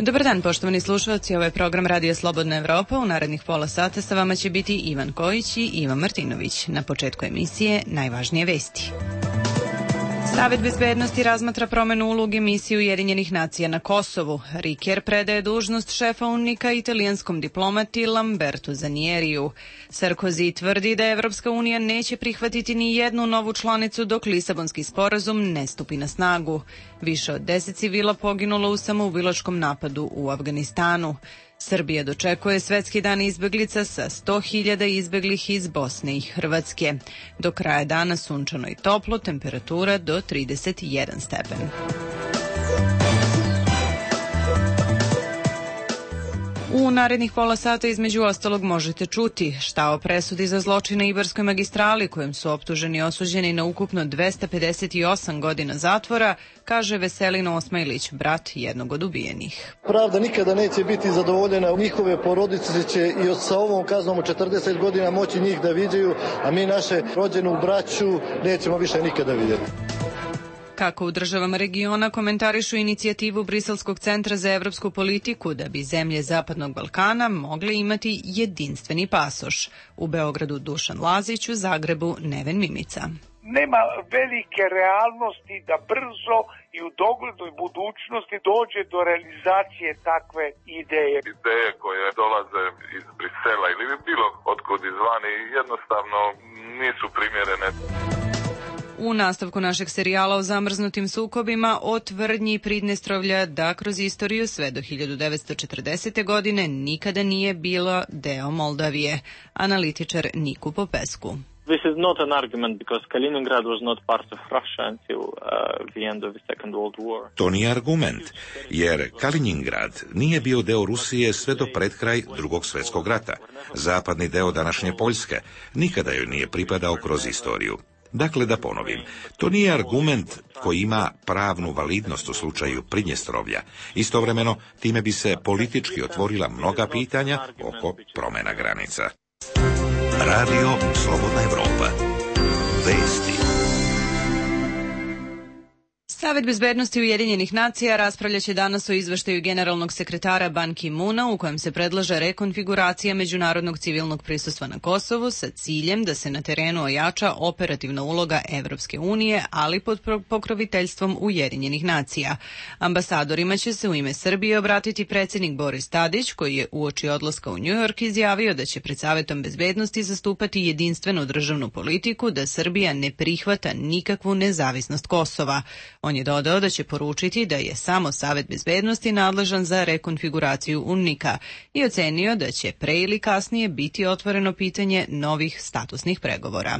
Dobar dan, poštovani slušalci, ovo je program Radio Slobodna Evropa. U narednih pola sata sa vama će biti Ivan Kojić i Ivan Martinović. Na početku emisije najvažnije vesti. Savet bezbednosti razmatra promenu uloge misije Ujedinjenih nacija na Kosovu. Riker predaje dužnost šefa UNMIK-a italijanskom diplomati Lambertu Zanieriju. Sarkozy tvrdi da Evropska unija neće prihvatiti ni jednu novu članicu dok Lisabonski sporazum ne stupi na snagu. Više od 10 civila poginulo u samoubilačkom napadu u Afganistanu. Srbija dočekuje Svetski dan izbeglica sa 100.000 izbeglih iz Bosne i Hrvatske. Do kraja dana sunčano i toplo, temperatura do 31 stepen. U narednih pola sata između ostalog možete čuti šta o presudi za zločine na Ibarskoj magistrali kojem su optuženi i osuđeni na ukupno 258 godina zatvora, kaže Veselin Osmajlić, brat jednog od ubijenih. Pravda nikada neće biti zadovoljena, njihove porodice će i sa ovom kaznom od 40 godina moći njih da viđaju, a mi naše rođenu braću nećemo više nikada vidjeti. Kako u državama regiona komentarišu inicijativu Briselskog centra za evropsku politiku da bi zemlje Zapadnog Balkana mogle imati jedinstveni pasoš. U Beogradu Dušan Lazić, u Zagrebu Neven Mimica. Nema velike realnosti da brzo i u doglednoj budućnosti dođe do realizacije takve ideje. Ideje koje dolaze iz Brisela ili bilo otkud izvani jednostavno nisu primjerene. U nastavku našeg serijala o zamrznutim sukobima o tvrdnji Pridnestrovlja da kroz istoriju sve do 1940. godine nikada nije bila deo Moldavije. Analitičar Niku Popescu. This is not an argument because Kaliningrad was not part of Russia until the end of the Second World War. To nije argument, jer Kaliningrad nije bio deo Rusije sve do pred kraj Drugog svjetskog rata. Zapadni deo današnje Poljske nikada joj nije pripadao kroz istoriju. Dakle, da ponovim, to nije argument koji ima pravnu validnost u slučaju Pridnjestrovlja. Istovremeno, time bi se politički otvorila mnoga pitanja oko promjena granica. Radio Slobodna Evropa. Vesti. Savet bezbednosti Ujedinjenih nacija raspravljaće danas o izveštaju generalnog sekretara Ban Ki-moona u kojem se predlaže rekonfiguracija međunarodnog civilnog prisustva na Kosovu sa ciljem da se na terenu ojača operativna uloga Evropske unije, ali pod pokroviteljstvom Ujedinjenih nacija. Ambasadorima će se u ime Srbije obratiti predsjednik Boris Tadić, koji je uoči odlaska u New York izjavio da će pred Savetom bezbednosti zastupati jedinstvenu državnu politiku da Srbija ne prihvata nikakvu nezavisnost Kosova. On je dodao da će poručiti da je samo Savet bezbednosti nadležan za rekonfiguraciju UNMIK-a i ocenio da će pre ili kasnije biti otvoreno pitanje novih statusnih pregovora.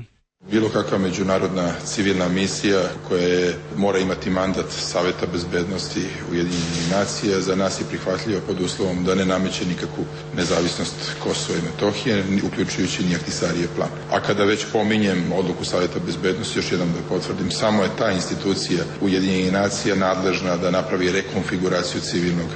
Bilo kakva međunarodna civilna misija koja mora imati mandat Saveta bezbednosti Ujedinjenih nacija za nas je prihvatljiva pod uslovom da ne nameće nikakvu nezavisnost Kosova i Metohije, uključujući ni Ahtisarijev plan. A kada već pominjem odluku Saveta bezbednosti, još jednom da potvrdim, samo je ta institucija Ujedinjenih nacija nadležna da napravi rekonfiguraciju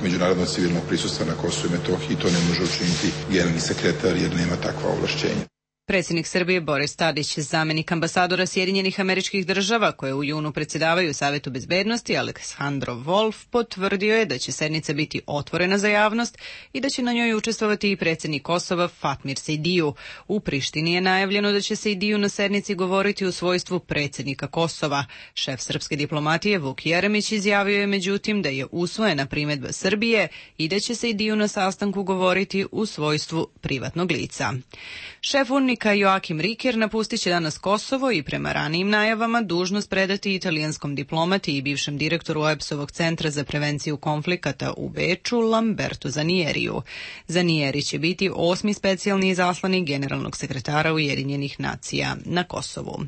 međunarodnog civilnog prisustva na Kosovu i Metohiji i to ne može učiniti generalni sekretar jer nema takva ovlašćenja. Predsjednik Srbije Boris Tadić, zamjenik ambasadora Sjedinjenih Američkih Država koje u junu predsjedavaju Savetu bezbednosti, Aleksandro Wolf, potvrdio je da će sednica biti otvorena za javnost i da će na njoj učestvovati i predsjednik Kosova Fatmir Sejdiju. U Prištini je najavljeno da će Sejdiju na sednici govoriti u svojstvu predsjednika Kosova. Šef srpske diplomatije Vuk Jeremić izjavio je međutim da je usvojena primjedba Srbije i da će Sejdiju na sastanku govoriti u svojstvu privatnog lica. Šef UNMIK-a Joakim Riker napustit će danas Kosovo i prema ranijim najavama dužnost predati italijanskom diplomati i bivšem direktoru OEBS-ovog centra za prevenciju konflikata u Beču Lambertu Zanieriju. Zanieri će biti 8. specijalni izaslanik generalnog sekretara Ujedinjenih nacija na Kosovu.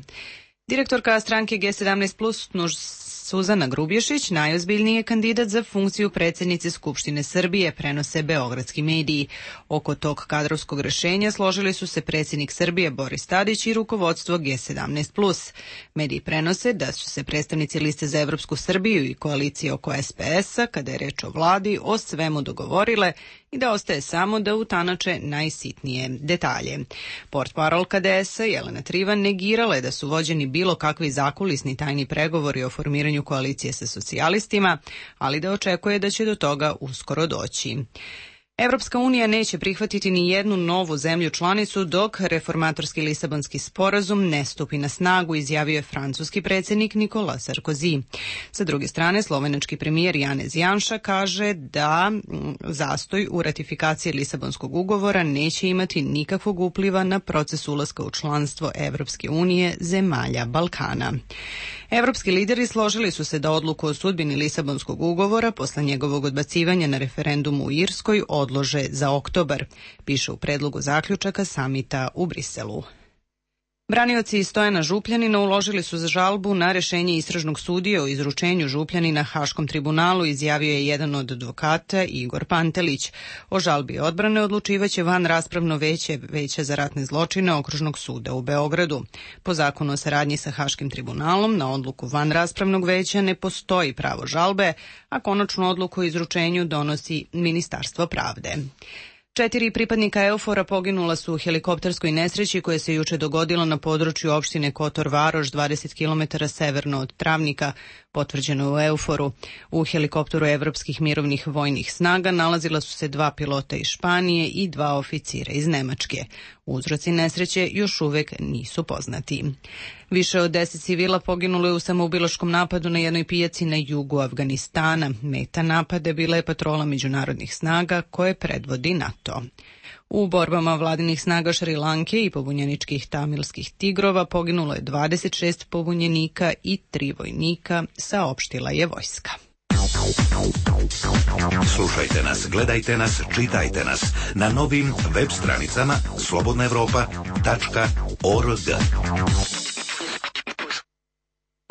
Direktorka stranke G17+, Suzana Grubješić, najozbiljniji je kandidat za funkciju predsjednice Skupštine Srbije, prenose beogradski mediji. Oko tog kadrovskog rješenja složili su se predsjednik Srbije Boris Tadić i rukovodstvo G17+. Mediji prenose da su se predstavnici liste za Evropsku Srbiju i koalicije oko SPS-a, kada je reč o vladi, o svemu dogovorile i da ostaje samo da utanače najsitnije detalje. Portparolka DS-a Jelena Trivan negirala je da su vođeni bilo kakvi zakulisni tajni pregovori o formiranju koalicije sa socijalistima, ali da očekuje da će do toga uskoro doći. Evropska unija neće prihvatiti ni jednu novu zemlju članicu dok reformatorski Lisabonski sporazum ne stupi na snagu, izjavio je francuski predsjednik Nicolas Sarkozy. Sa druge strane, slovenački premijer Janez Janša kaže da zastoj u ratifikaciji Lisabonskog ugovora neće imati nikakvog upliva na proces ulaska u članstvo Evropske unije zemalja Balkana. Evropski lideri složili su se da odluku o sudbini Lisabonskog ugovora posle njegovog odbacivanja na referendumu u Irskoj odlože za oktobar, piše u predlogu zaključaka samita u Briselu. Branioci Stojana Župljanina uložili su za žalbu na rešenje istražnog sudije o izručenju Župljanina Haškom tribunalu, izjavio je jedan od advokata Igor Pantelić. O žalbi odbrane odlučivaće vanraspravno veće za ratne zločine Okružnog suda u Beogradu. Po zakonu o saradnji sa Haškim tribunalom na odluku vanraspravnog veća ne postoji pravo žalbe, a konačnu odluku o izručenju donosi Ministarstvo pravde. 4 pripadnika EUFOR-a poginula su u helikopterskoj nesreći koja se juče dogodila na području opštine Kotor Varoš, 20 km severno od Travnika, potvrđeno u EUFOR-u. U helikopteru evropskih mirovnih vojnih snaga nalazila su se 2 pilota iz Španije i 2 oficira iz Nemačke. Uzroci nesreće još uvek nisu poznati. Više od 10 civila poginulo je u samoubilačkom napadu na jednoj pijaci na jugu Afganistana. Meta napada bila je patrola međunarodnih snaga koje predvodi NATO. U borbama vladinih snaga Šrilanke i pobunjeničkih tamilskih tigrova poginulo je 26 pobunjenika i 3 vojnika, saopštila je vojska. Slušajte nas, gledajte nas, čitajte nas na novim web stranicama slobodnaevropa.org.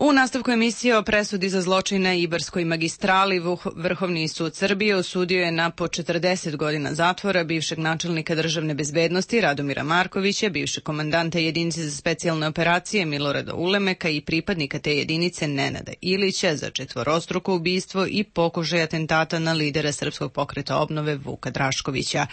U nastavku emisije o presudi za zločine Ibarskoj magistrali Vrhovni sud Srbije osudio je na po 40 godina zatvora bivšeg načelnika državne bezbednosti Radomira Markovića, bivšeg komandanta jedinice za specijalne operacije Milorada Ulemeka i pripadnika te jedinice Nenada Ilića za četvorostruko ubistvo i pokušaj atentata na lidera Srpskog pokreta obnove Vuka Draškovića.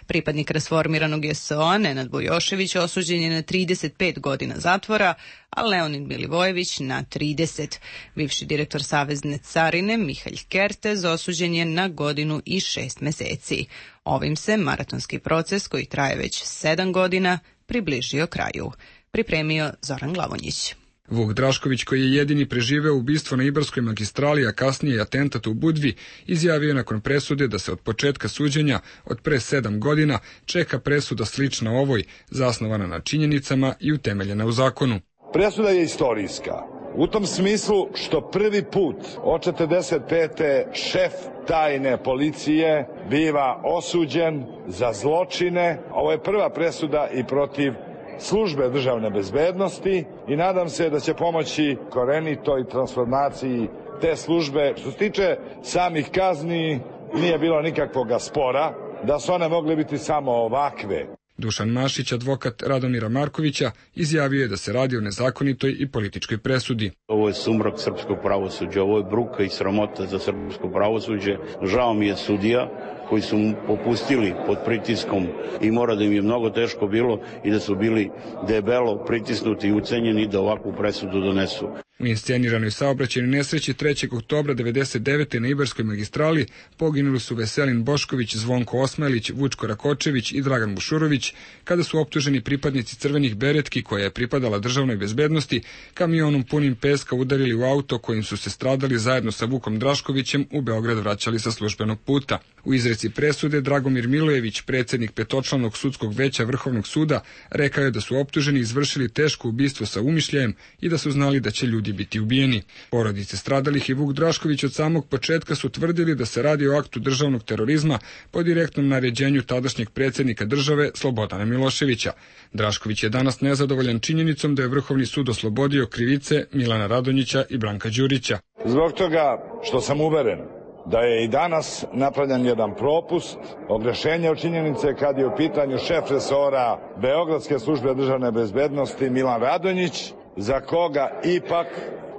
Pripadnik rasformiranog JSO-a Nenad Bojošević osuđen je na 35 godina zatvora, a Leonid Milivojević na 30. Bivši direktor Savezne carine Mihalj Kertez osuđen je na 1 godinu i 6 meseci. Ovim se maratonski proces, koji traje već 7 godina, približio kraju. Pripremio Zoran Glavonjić. Vuk Drašković, koji je jedini preživeo ubistvo na Ibarskoj magistrali, a kasnije i atentat u Budvi, izjavio je nakon presude da se od početka suđenja, od pre 7 godina, čeka presuda slična ovoj, zasnovana na činjenicama i utemeljena u zakonu. Presuda je istorijska. U tom smislu što prvi put od 45. šef tajne policije biva osuđen za zločine. Ovo je prva presuda i protiv službe državne bezbednosti i nadam se da će pomoći korenitoj transformaciji te službe. Što se tiče samih kazni, nije bilo nikakvog spora, da su one mogle biti samo ovakve. Dušan Mašić, advokat Radomira Markovića, izjavio je da se radi o nezakonitoj i političkoj presudi. Ovo je sumrak srpskog pravosuđa, ovo je bruka i sramota za srpsko pravosuđe. Žao mi je sudija koji su mu popustili pod pritiskom i mora da im je mnogo teško bilo i da su bili debelo pritisnuti i ucenjeni da ovakvu presudu donesu. U insceniranoj saobraćajnoj nesreći 3. oktobra 1999. na Ibarskoj magistrali poginuli su Veselin Bošković, Zvonko Osmajlić, Vučko Rakočević i Dragan Bušurović, kada su optuženi pripadnici crvenih beretki, koja je pripadala državnoj bezbednosti, kamionom punim peska udarili u auto kojim su se stradali zajedno sa Vukom Draškovićem u Beograd vraćali sa službenog puta. U izreci presude Dragomir Milojević, predsjednik petočlanog sudskog veća Vrhovnog suda, rekao je da su optuženi izvršili teško ubistvo sa umišljajem i da su znali da će ljudi biti ubijeni. Porodice stradalih i Vuk Drašković od samog početka su tvrdili da se radi o aktu državnog terorizma po direktnom naređenju tadašnjeg predsjednika države Slobodana Miloševića. Drašković je danas nezadovoljan činjenicom da je Vrhovni sud oslobodio krivice Milana Radonjića i Branka Đurića. Zbog toga što sam uveren da je i danas napravljen jedan propust, ogrešenje od činjenice kad je u pitanju šef resora Beogradske službe državne bezbednosti Milan Radonjić, za koga ipak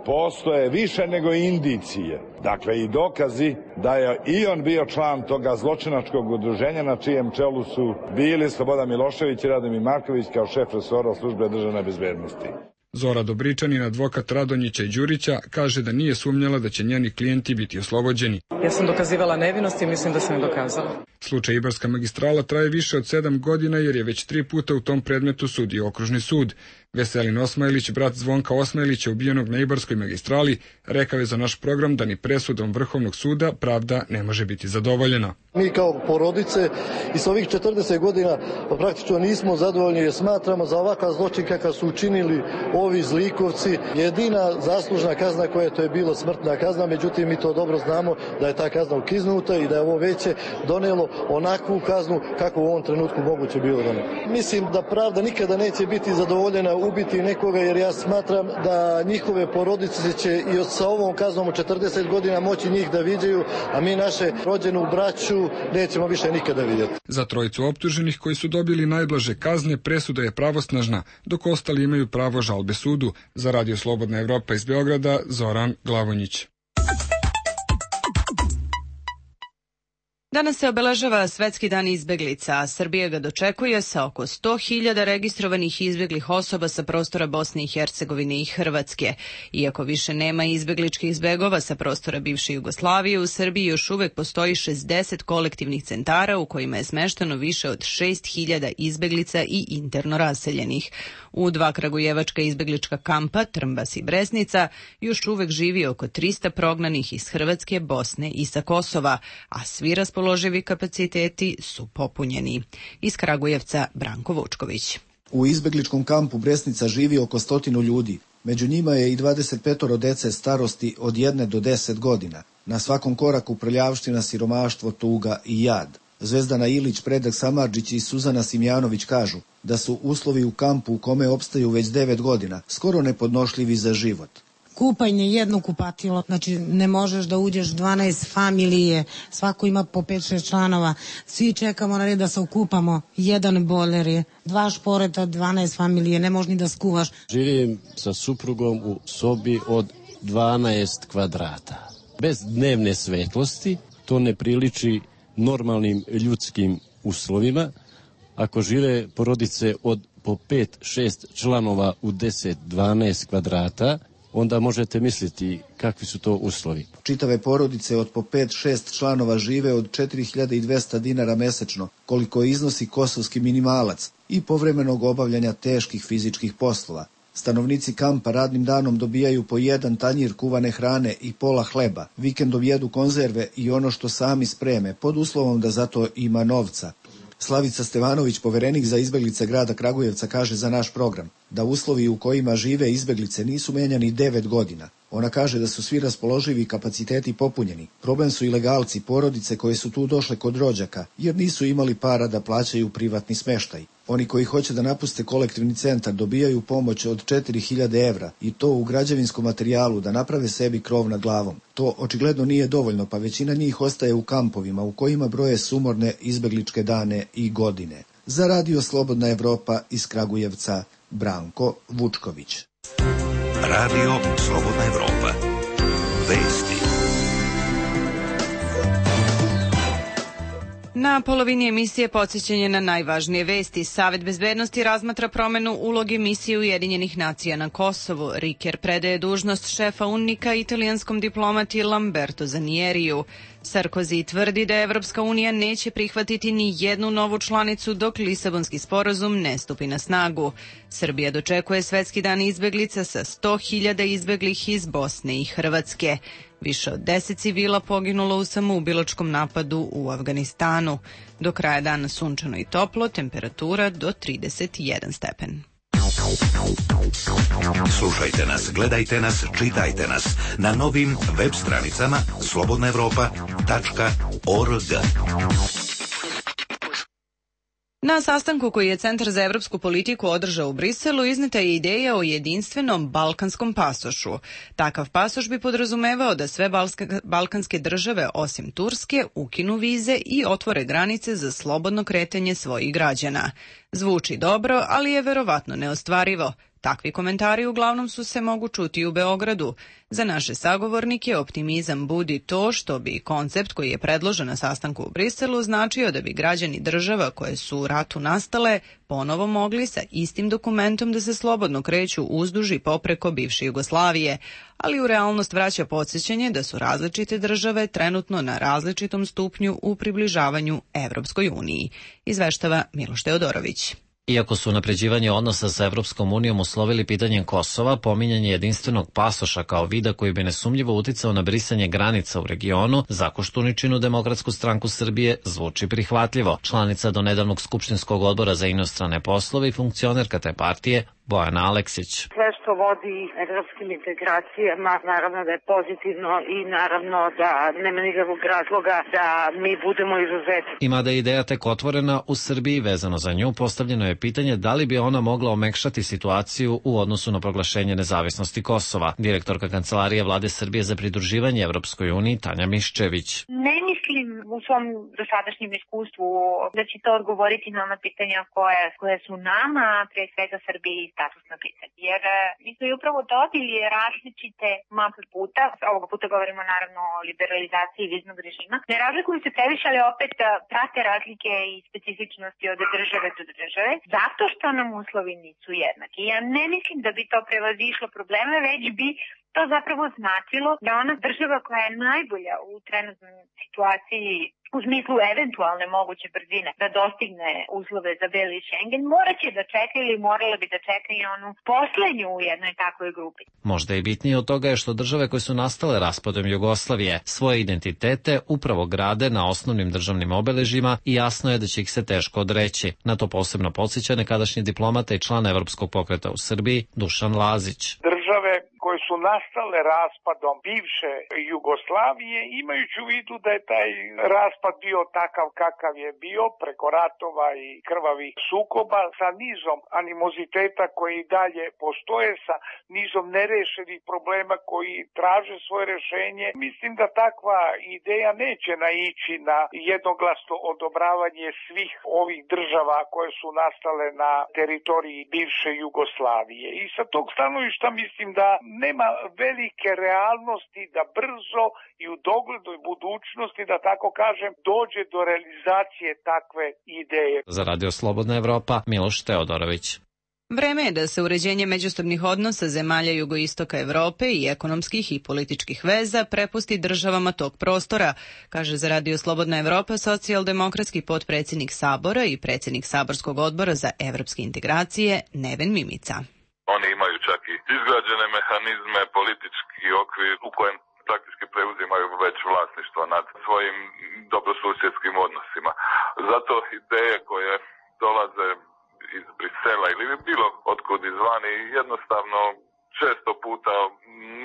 postoje više nego indicije, dakle i dokazi da je i on bio član toga zločinačkog udruženja na čijem čelu su bili Slobodan Milošević i Radomir Marković kao šef resora službe državne bezbednosti. Zora Dobričanin, advokat Radonjića i Đurića, kaže da nije sumnjala da će njeni klijenti biti oslobođeni. Ja sam dokazivala nevinost i mislim da sam je dokazala. Slučaj Ibarska magistrala traje više od 7 godina jer je već 3 puta u tom predmetu sudio okružni sud. Veselin Osmajlić, brat Zvonka Osmajlića ubijenog na Ibarskoj magistrali, rekao je za naš program da ni presudom Vrhovnog suda pravda ne može biti zadovoljena. Mi kao porodice i sa ovih 40 godina praktično nismo zadovoljni jer smatramo za ovakav zločin kakav su učinili ovi zlikovci jedina zaslužna kazna koja je bilo smrtna kazna, međutim mi to dobro znamo da je ta kazna ukiznuta i da je ovo veće donelo onakvu kaznu kako u ovom trenutku moguće bilo doneti. Mislim da pravda nikada neće biti zadovoljena ubiti nekoga jer ja smatram da njihove porodice će i sa ovom kaznom od 40 godina moći njih da viđaju, a mi naše rođenu braću nećemo više nikada vidjeti. Za trojicu optuženih koji su dobili najblaže kazne presuda je pravosnažna, dok ostali imaju pravo žalbe sudu. Za Radio Slobodna Evropa iz Beograda, Zoran Glavonjić. Danas se obeležava Svetski dan izbeglica, a Srbija ga dočekuje sa oko 100.000 registrovanih izbeglih osoba sa prostora Bosne i Hercegovine i Hrvatske. Iako više nema izbegličkih zbegova sa prostora bivše Jugoslavije, u Srbiji još uvek postoji 60 kolektivnih centara u kojima je smešteno više od 6.000 izbeglica i interno raseljenih. U 2 kragujevačka izbeglička kampa, Trmbas i Bresnica, još uvek živi oko 300 prognanih iz Hrvatske, Bosne i sa Kosova, a svi raspoloživi kapaciteti su popunjeni. Iz Kragujevca, Branko Vučković. U izbegličkom kampu Bresnica živi oko 100 ljudi. Među njima je i 25 dece starosti od 1 do 10 godina. Na svakom koraku prljavština, siromaštvo, tuga i jad. Zvezdana Ilić, Predrag Samardžić i Suzana Simjanović kažu da su uslovi u kampu u kome opstaju već 9 godina skoro nepodnošljivi za život. Kupanje, jedno kupatilo, znači ne možeš da uđeš 12 familije, svako ima po 5-6 članova, svi čekamo na red da se okupamo, jedan bojler je, 2 šporeta, 12 familije, ne možeš ni da skuvaš. Živim sa suprugom u sobi od 12 kvadrata. Bez dnevne svetlosti, to ne priliči normalnim ljudskim uslovima. Ako žive porodice od po 5-6 članova u 10-12 kvadrata, onda možete misliti kakvi su to uslovi. Čitave porodice od po 5-6 članova žive od 4.200 dinara mesečno, koliko iznosi kosovski minimalac i povremenog obavljanja teških fizičkih poslova. Stanovnici kampa radnim danom dobijaju po 1 tanjir kuvane hrane i pola hleba, vikendom jedu konzerve i ono što sami spreme, pod uslovom da za to ima novca. Slavica Stevanović, poverenik za izbeglice grada Kragujevca, kaže za naš program da uslovi u kojima žive izbeglice nisu menjani 9 godina. Ona kaže da su svi raspoloživi kapaciteti popunjeni. Problem su ilegalci, porodice koje su tu došle kod rođaka, jer nisu imali para da plaćaju privatni smeštaj. Oni koji hoće da napuste kolektivni centar dobijaju pomoć od 4.000 evra i to u građevinskom materijalu da naprave sebi krov nad glavom. To očigledno nije dovoljno, pa većina njih ostaje u kampovima u kojima broje sumorne izbegličke dane i godine. Za Radio Slobodna Evropa iz Kragujevca, Branko Vučković. Radio Slobodna Evropa. Vesti. Na polovini emisije podsjećanje na najvažnije vesti. Savet bezbednosti razmatra promenu uloge misije Ujedinjenih nacija na Kosovu. Riker predaje dužnost šefa UNMIK-a italijanskom diplomati Lamberto Zanieriju. Sarkozy tvrdi da Evropska unija neće prihvatiti ni jednu novu članicu dok Lisabonski sporazum ne stupi na snagu. Srbija dočekuje Svetski dan izbeglica sa 100.000 izbeglih iz Bosne i Hrvatske. Više od 10 civila poginulo u samoubilačkom napadu u Afganistanu. Do kraja dana sunčano i toplo, temperatura do 31 stepen. Slušajte nas, gledajte nas, čitajte nas na novim web stranicama slobodnaevropa.org. Na sastanku koji je Centar za evropsku politiku održao u Briselu izneta je ideja o jedinstvenom balkanskom pasošu. Takav pasoš bi podrazumevao da sve balkanske države osim Turske ukinu vize i otvore granice za slobodno kretanje svojih građana. Zvuči dobro, ali je verovatno neostvarivo. Takvi komentari uglavnom su se mogu čuti u Beogradu. Za naše sagovornike optimizam budi to što bi koncept koji je predložen na sastanku u Briselu značio da bi građani država koje su u ratu nastale ponovo mogli sa istim dokumentom da se slobodno kreću uzduž i popreko bivše Jugoslavije, ali u realnost vraća podsjećanje da su različite države trenutno na različitom stupnju u približavanju Evropskoj uniji, izveštava Miloš Teodorović. Iako su unapređivanje odnosa sa Evropskom unijom uslovili pitanjem Kosova, pominjanje jedinstvenog pasoša kao vida koji bi nesumnjivo uticao na brisanje granica u regionu, za Koštuničinu Demokratsku stranku Srbije zvuči prihvatljivo. Članica do nedavnog Skupštinskog odbora za inostrane poslove i funkcionerka te partije Bojana Aleksić. Sve što vodi evropskim integracijama, naravno da je pozitivno i naravno da nema nikakvog razloga da mi budemo izuzeti. I mada je ideja tek otvorena u Srbiji vezano za nju, postavljeno je pitanje da li bi ona mogla omekšati situaciju u odnosu na proglašenje nezavisnosti Kosova. Direktorka Kancelarije Vlade Srbije za pridruživanje Evropskoj uniji Tanja Miščević. Ne mislim u svom dosadašnjem iskustvu da će to odgovoriti na ona pitanja koje su nama, pre svega Srbiji, statusna pitanja. Jer mi smo i upravo dobili različite mape puta, ovoga puta govorimo naravno o liberalizaciji viznog režima. Ne razlikuju se previše, ali opet prate razlike i specifičnosti od države do države, zato što nam uslovi nisu jednaki. Ja ne mislim da bi to prevazišlo probleme, već bi to zapravo značilo da ona država koja je najbolja u trenutnoj situaciji u smislu eventualne moguće brzine da dostigne uslove za beli Schengen, moraće da čeka ili morala bi da čeka i onu poslednju u jednoj takvoj grupi. Možda i bitnije od toga je što države koje su nastale raspadom Jugoslavije svoje identitete upravo grade na osnovnim državnim obeležjima i jasno je da će ih se teško odreći. Na to posebno podsjeća nekadašnji diplomata i član Evropskog pokreta u Srbiji Dušan Lazić. Države koje su nastale raspadom bivše Jugoslavije, imajući u vidu da je taj raspad bio takav kakav je bio, preko ratova i krvavih sukoba, sa nizom animoziteta koji i dalje postoje, sa nizom nerešenih problema koji traže svoje rešenje, mislim da takva ideja neće naići na jednoglasno odobravanje svih ovih država koje su nastale na teritoriji bivše Jugoslavije. I sa tog stanovišta mislim da nema velike realnosti da brzo i u doglednoj budućnosti, da tako kažem, dođe do realizacije takve ideje. Za Radio Slobodna Evropa, Miloš Teodorović. Vreme je da se uređenje međusobnih odnosa zemalja jugoistoka Evrope i ekonomskih i političkih veza prepusti državama tog prostora, kaže za Radio Slobodna Evropa socijaldemokratski potpredsjednik Sabora i predsjednik Saborskog odbora za evropske integracije Neven Mimica. Oni imaju čak i izgrađene mehanizme, politički okvir u kojem praktički preuzimaju već vlasništvo nad svojim dobrosusjedskim odnosima. Zato ideje koje dolaze iz Brisela ili bilo otkud izvani jednostavno često puta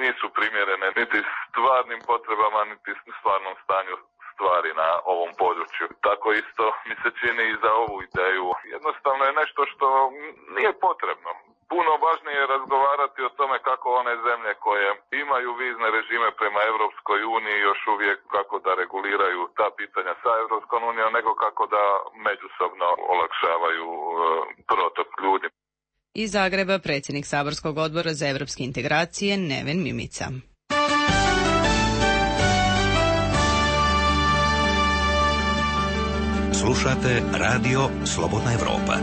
nisu primjerene niti stvarnim potrebama, niti stvarnom stanju stvari na ovom području. Tako isto mi se čini i za ovu ideju. Jednostavno je nešto što nije potrebno. Puno važnije je razgovarati o tome kako one zemlje koje imaju vizne režime prema Evropskoj uniji još uvijek kako da reguliraju ta pitanja sa Evropskom unijom, nego kako da međusobno olakšavaju protok ljudi. Iz Zagreba predsjednik Saborskog odbora za evropske integracije Neven Mimica. Slušate Radio Slobodna Evropa.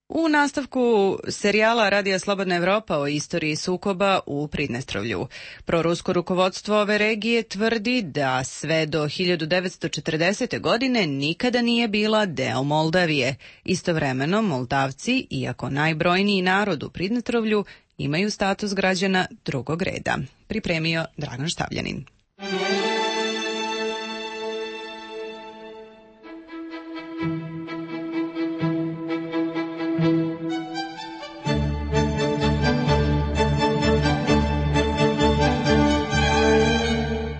U nastavku serijala Radija Slobodna Evropa o istoriji sukoba u Pridnestrovlju. Prorusko rukovodstvo ove regije tvrdi da sve do 1940. godine nikada nije bila deo Moldavije. Istovremeno, Moldavci, iako najbrojniji narod u Pridnestrovlju, imaju status građana drugog reda. Pripremio Dragan Štavljanin.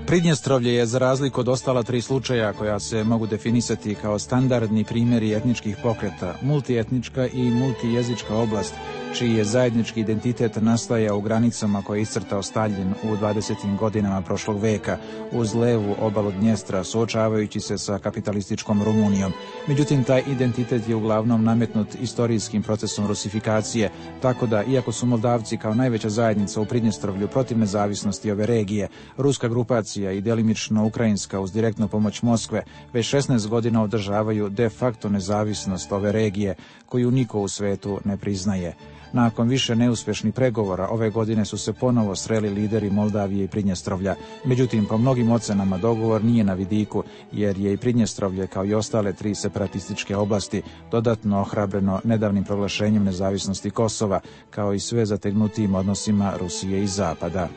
Pridnjestrovlje je, za razliku od ostala tri slučaja koja se mogu definisati kao standardni primjeri etničkih pokreta, multietnička i multijezička oblast, čiji je zajednički identitet nastajao u granicama koje je iscrtao Staljin u 20. godinama prošlog veka uz levu obalu Dnjestra, suočavajući se sa kapitalističkom Rumunijom. Međutim, taj identitet je uglavnom nametnut istorijskim procesom rusifikacije, tako da, iako su Moldavci kao najveća zajednica u Pridnjestrovlju protiv nezavisnosti ove regije, ruska grupacija i delimično ukrajinska uz direktnu pomoć Moskve već 16 godina održavaju de facto nezavisnost ove regije, koju niko u svetu ne priznaje. Nakon više neuspješnih pregovora, ove godine su se ponovo sreli lideri Moldavije i Pridnjestrovlja. Međutim, po mnogim ocenama dogovor nije na vidiku, jer je i Pridnjestrovlje, kao i ostale 3 separatističke oblasti, dodatno ohrabreno nedavnim proglašenjem nezavisnosti Kosova, kao i sve zategnutijim odnosima Rusije i Zapada.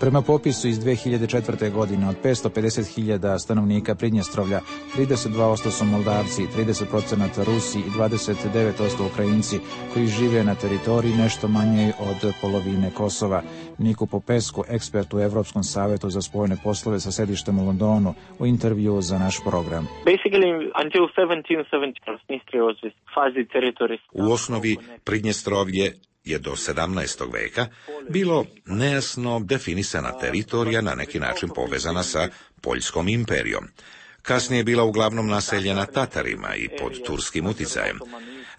Prema popisu iz 2004. godine od 550.000 stanovnika Pridnjestrovlja, 32% su Moldavci, 30% Rusi i 29% Ukrajinci koji žive na teritoriji nešto manje od polovine Kosova. Niku Popescu, ekspert u Evropskom savetu za spoljne poslove sa sedištem u Londonu, u intervju za naš program. U osnovi Pridnjestrovlje je do 17. veka bilo nejasno definisana teritorija, na neki način povezana sa Poljskom imperijom. Kasnije je bila uglavnom naseljena Tatarima i pod turskim uticajem.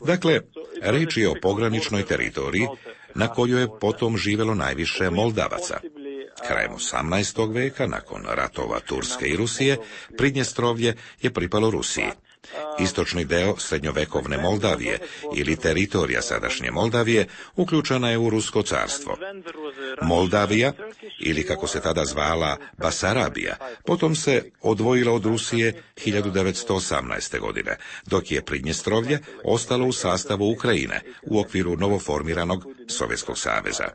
Dakle, reč je o pograničnoj teritoriji na kojoj je potom živjelo najviše Moldavaca. Krajem 18. veka, nakon ratova Turske i Rusije, Pridnjestrovlje je pripalo Rusiji. Istočni deo srednjovekovne Moldavije ili teritorija sadašnje Moldavije uključena je u Rusko carstvo. Moldavija, ili kako se tada zvala Basarabija, potom se odvojila od Rusije 1918. godine, dok je Pridnjestrovlje ostalo u sastavu Ukrajine u okviru novoformiranog Sovjetskog saveza.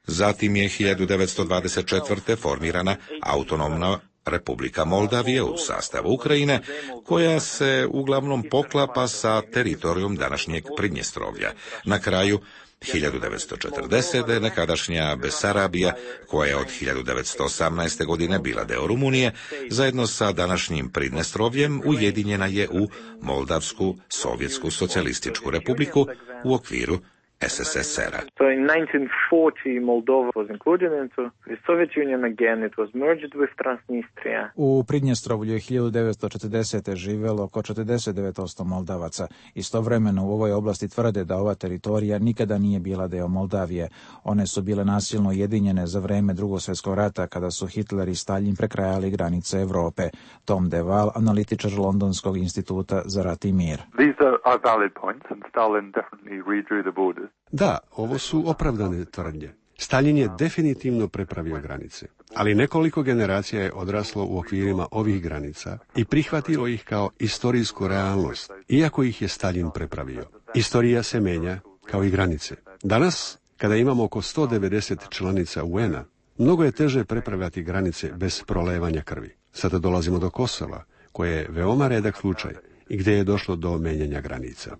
Zatim je 1924. formirana autonomna Republika Moldavije u sastavu Ukrajine, koja se uglavnom poklapa sa teritorijom današnjeg Pridnjestrovlja. Na kraju 1940. nekadašnja Besarabija, koja je od 1918. godine bila deo Rumunije, zajedno sa današnjim Pridnjestrovljem ujedinjena je u Moldavsku Sovjetsku socijalističku republiku u okviru SSSR-a. So in 1940 Moldova was included into the Soviet Union again. It was merged with Transnistria. U Pridnjestrovlju je 1940. živelo oko 49% Moldavaca. Istovremeno u ovoj oblasti tvrde da ova teritorija nikada nije bila deo Moldavije. One su bile nasilno ujedinjene za vreme Drugog svjetskog rata, kada su Hitler i Stalin prekrajali granice Evrope. Tom DeWaal, analitičar Londonskog instituta za rat i mir. These are valid points and Stalin definitely redrew the borders. Da, ovo su opravdane tvrdnje. Stalin je definitivno prepravio granice, ali nekoliko generacija je odraslo u okvirima ovih granica i prihvatilo ih kao istorijsku realnost, iako ih je Stalin prepravio. Istorija se menja kao i granice. Danas, kada imamo oko 190 članica UN-a, mnogo je teže prepravljati granice bez prolevanja krvi. Sada dolazimo do Kosova, koje je veoma redak slučaj i gdje je došlo do menjanja granica.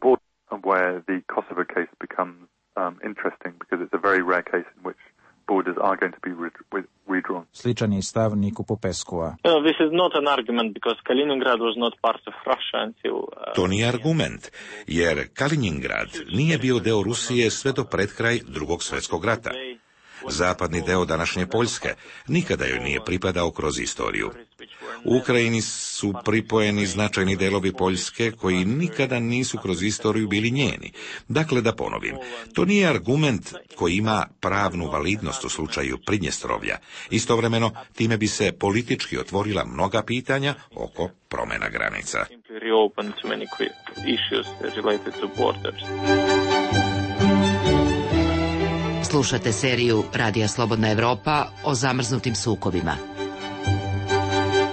Where the Kosovo case becomes interesting because it's a very rare case in which borders are going to be redrawn. Sličan je stav Niku Popeskova. This is not an argument because Kaliningrad was not part of Russia until To nije argument, jer Kaliningrad nije bio deo Rusije sve do pred kraj Drugog svjetskog rata. Zapadni deo današnje Poljske nikada joj nije pripadao kroz istoriju. U Ukrajini su pripojeni značajni delovi Poljske koji nikada nisu kroz istoriju bili njeni. Dakle, da ponovim, to nije argument koji ima pravnu validnost u slučaju Pridnjestrovlja. Istovremeno, time bi se politički otvorila mnoga pitanja oko promjena granica. Slušate seriju Radija Slobodna Evropa o zamrznutim sukobima.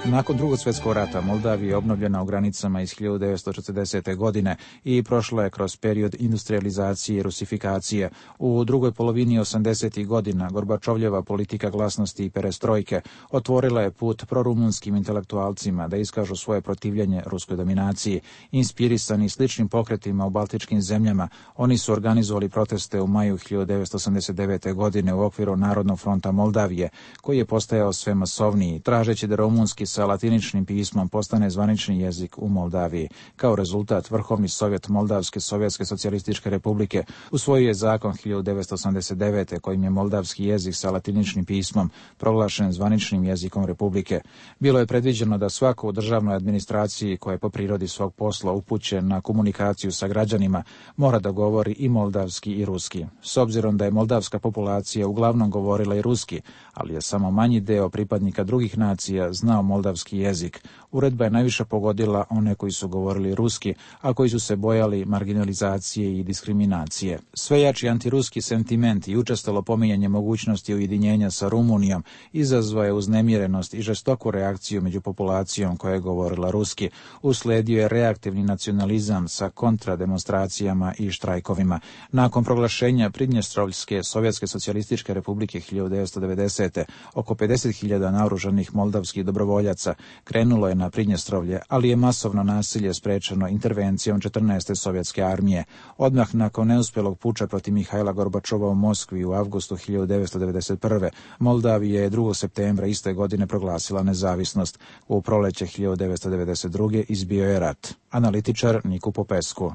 Nakon Drugog svjetskog rata Moldavija je obnovljena u granicama iz 1940. godine i prošla je kroz period industrializacije i rusifikacije. U drugoj polovini 80. godina Gorbačovljeva politika glasnosti i perestrojke otvorila je put prorumunskim intelektualcima da iskažu svoje protivljenje ruskoj dominaciji. Inspirisani sličnim pokretima u baltičkim zemljama, oni su organizovali proteste u maju 1989. godine u okviru Narodnog fronta Moldavije, koji je postajao sve masovniji, tražeći da rumunski sa latiničnim pismom postane zvanični jezik u Moldaviji. Kao rezultat, Vrhovni sovjet Moldavske Sovjetske socijalističke republike usvojio je zakon 1989. kojim je moldavski jezik sa latiničnim pismom proglašen zvaničnim jezikom republike. Bilo je predviđeno da svako u državnoj administraciji koja je po prirodi svog posla upućen na komunikaciju sa građanima mora da govori i moldavski i ruski. S obzirom da je moldavska populacija uglavnom govorila i ruski, ali je samo manji deo pripadnika drugih nacija znao moldavski jezik, uredba je najviše pogodila one koji su govorili ruski, a koji su se bojali marginalizacije i diskriminacije. Sve jači antiruski sentiment i učestalo pominjanje mogućnosti ujedinjenja sa Rumunijom izazvao je uznemirenost i žestoku reakciju među populacijom koja je govorila ruski. Usledio je reaktivni nacionalizam sa kontrademonstracijama i štrajkovima. Nakon proglašenja Pridnjestrovljske Sovjetske socijalističke republike 1990. oko 50.000 naoružanih moldavskih dobrovoljaca krenulo je na Pridnjestrovlje, ali je masovno nasilje sprečeno intervencijom 14. sovjetske armije. Odmah nakon neuspjelog puča protiv Mihajla Gorbačova u Moskvi u avgustu 1991. Moldavija je 2. septembra iste godine proglasila nezavisnost. U proleće 1992. izbio je rat. Analitičar Niku Popescu.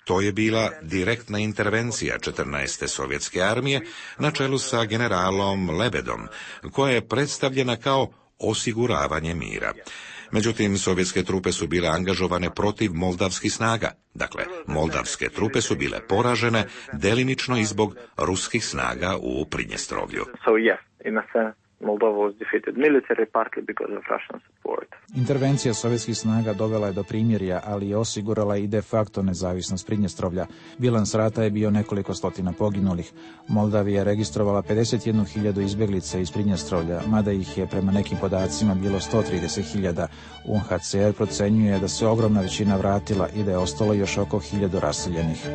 To je bila direktna intervencija 14. sovjetske armije na čelu sa generalom Lebedom, koja je predstavljena kao osiguravanje mira. Međutim, sovjetske trupe su bile angažovane protiv moldavskih snaga. Dakle, moldavske trupe su bile poražene delimično i zbog ruskih snaga u Pridnjestrovlju. Moldova was defeated militarily, partly because of Russian support. Intervencija sovjetskih snaga dovela je do primirja, ali je osigurala i de facto nezavisnost Pridnjestrovlja. Bilans rata je bio nekoliko stotina poginulih. Moldavija je registrovala 51.000 izbjeglica iz Pridnjestrovlja, mada ih je prema nekim podacima bilo 130.000. UNHCR procenjuje da se ogromna većina vratila i da je ostalo još oko 1.000 raseljenih.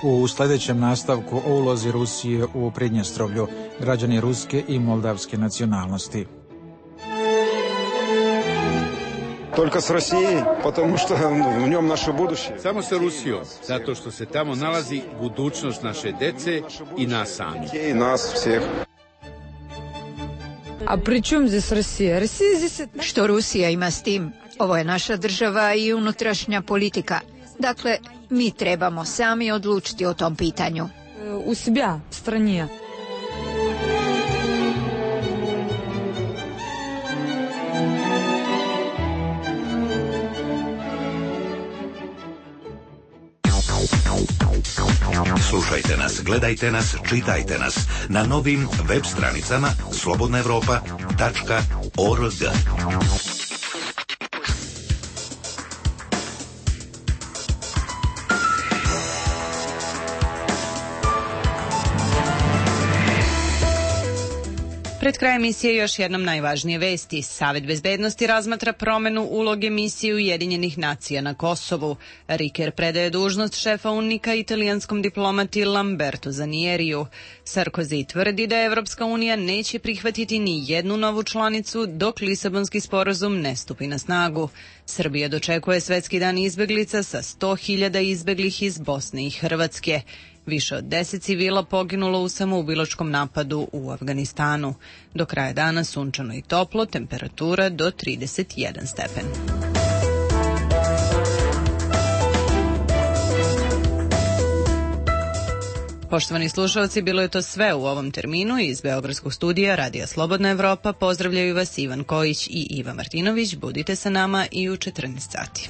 U sljedećem nastavku o ulozi Rusije u Pridnjestrovlju, građani ruske i moldavske nacionalnosti. Только с Россией, потому что в нем наше будущее. Samo sa Rusijom, zato što se tamo nalazi budućnost naše dece i nas samih. I nas всех. A pri čemu здесь Rusija? Što Rusija ima s tim? Ovo je naša država i unutrašnja politika. Dakle, mi trebamo sami odlučiti o tom pitanju. U себя, в стране. Slušajte nas, gledajte nas, čitajte nas na novim web stranicama slobodnaevropa.org. Pred krajem emisije još jednom najvažnije vesti. Savet bezbednosti razmatra promenu uloge misije Ujedinjenih nacija na Kosovu. Riker predaje dužnost šefa UNMIK-a italijanskom diplomati Lamberto Zanieriju. Sarkozy tvrdi da Evropska unija neće prihvatiti ni jednu novu članicu dok Lisabonski sporazum ne stupi na snagu. Srbija dočekuje Svetski dan izbeglica sa 100.000 izbeglih iz Bosne i Hrvatske. Više od 10 civila poginulo u samoubilačkom napadu u Afganistanu. Do kraja dana sunčano i toplo, temperatura do 31 stepen. Poštovani slušalci, bilo je to sve u ovom terminu. Iz Beogradskog studija Radija Slobodna Evropa pozdravljaju vas Ivan Kojić i Iva Martinović. Budite sa nama i u 14 sati.